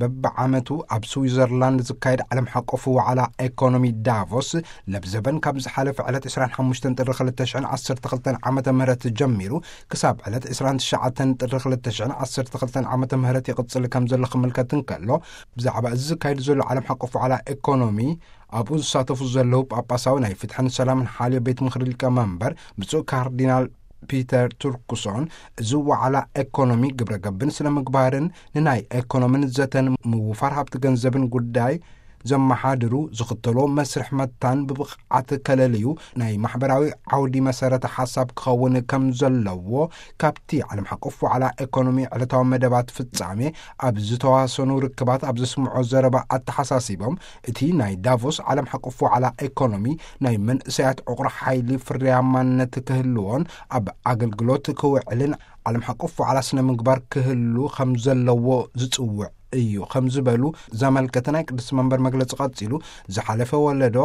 በብዓመቱ ኣብ ስዊዘርላንድ ዝካየድ ዓለም ሓቆፍ ዋዕላ ኤኮኖሚ ዳቮስ፣ ለብዘበን ካብ ዝሓለፈ ዕለት ዕስራን ሓሙሽተን ጥሪ ክልተ ሽሕን ዓሰርተ ክልተን ዓመተ ምህረት ጀሚሩ ክሳብ ዕለት ዕስራን ትሽዓተን ጥሪ ክልተ ሽሕን ዓሰርተ ክልተን ዓመተ ምህረት ይቕጽል ከም ዘሎ ክምልከት እንከሎ፣ ብዛዕባ እዚ ዝካየድ ዘሎ ዓለም ሓቆፍ ዋዕላ ኤኮኖሚ ኣብኡ ዝሳተፉ ዘለዉ ጳጳሳዊ ናይ ፍትሕን ሰላምን ሓልዮ ቤት ምኽሪ ሊቀ መንበር ብፁዕ ካርዲናል ፒተር ቱርክሶን፣ እዚ ዋዕላ ኤኮኖሚ ግብረ ገብን ስነ ምግባርን ንናይ ኤኮኖምን ዘተን ምውፋር ሃብቲ ገንዘብን ጉዳይ ዘመሓድሩ ዝኽተሎ መስርሕ መታን ብብቕዓት ከለልዩ ናይ ማሕበራዊ ዓውዲ መሰረተ ሓሳብ ክኸውን ከም ዘለዎ ካብቲ ዓለም ሓቆፍ ዋዕላ ኤኮኖሚ ዕለታዊ መደባት ፍጻሜ ኣብ ዝተዋሰኑ ርክባት ኣብ ዘስምዖ ዘረባ ኣተሓሳሲቦም፣ እቲ ናይ ዳቮስ ዓለም ሓቆፍ ዋዕላ ኤኮኖሚ ናይ መንእሰያት ዕቑር ሓይሊ ፍርያማነት ክህልዎን ኣብ ኣገልግሎት ክውዕልን ዓለም ሓቆፍ ዋዕላ ስነ ምግባር ክህሉ ከም ዘለዎ ዝጽውዕ እዩ ከም ዝበሉ ዘመልከተ ናይ ቅድስቲ መንበር መግለጺ ቀጺሉ፣ ዝሓለፈ ወለዶ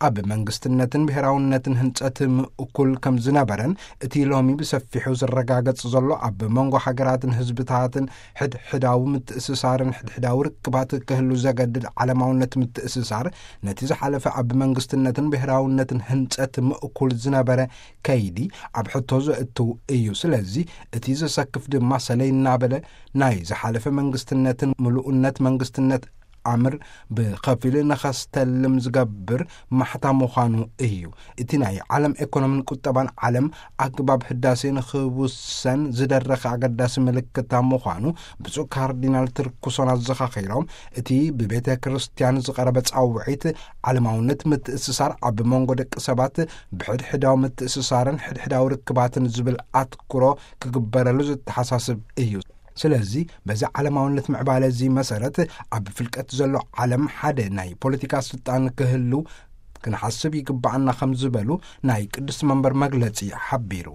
ኣብ መንግስትነትን ብሔራውነትን ህንጸት ምእኩል ከም ዝነበረን እቲ ሎሚ ብሰፊሑ ዝረጋገጽ ዘሎ ኣብ መንጎ ሃገራትን ህዝብታትን ሕድሕዳዊ ምትእስሳርን ሕድሕዳዊ ርክባት ክህሉ ዘገድድ ዓለማውነት ምትእስሳር፣ ነቲ ዝሓለፈ ኣብ መንግስትነትን ብሔራውነትን ህንጸት ምእኩል ዝነበረ ከይዲ ኣብ ሕቶ ዘእትው እዩ። ስለዚ እቲ ዘሰክፍ ድማ ሰለይ እናበለ ናይ ዝሓለፈ መንግስትነትን ምሉእነት መንግስትነት ኣምር ብኸፊል ንኸስተልም ዝገብር ማሕታ ምዃኑ እዩ። እቲ ናይ ዓለም ኤኮኖምን ቁጠባን ዓለም ኣግባብ ህዳሴ ንኽውሰን ዝደረኸ ኣገዳሲ ምልክታ ምዃኑ ብፁዕ ካርዲናል ትርኩሶን ኣዘኻኺሮም፣ እቲ ብቤተ ክርስቲያን ዝቐረበ ጻውዒት ዓለማውነት ምትእስሳር ኣብ መንጎ ደቂ ሰባት ብሕድሕዳዊ ምትእስሳርን ሕድሕዳዊ ርክባትን ዝብል ኣትኩሮ ክግበረሉ ዘተሓሳስብ እዩ። ስለዚ በዚ ዓለማውነት ምዕባለ እዚ መሰረት ኣብ ፍልቀት ዘሎ ዓለም ሓደ ናይ ፖለቲካ ስልጣን ክህሉ ክንሓስብ ይግባኣና ከም ዝበሉ ናይ ቅድስቲ መንበር መግለጺ ሓቢሩ።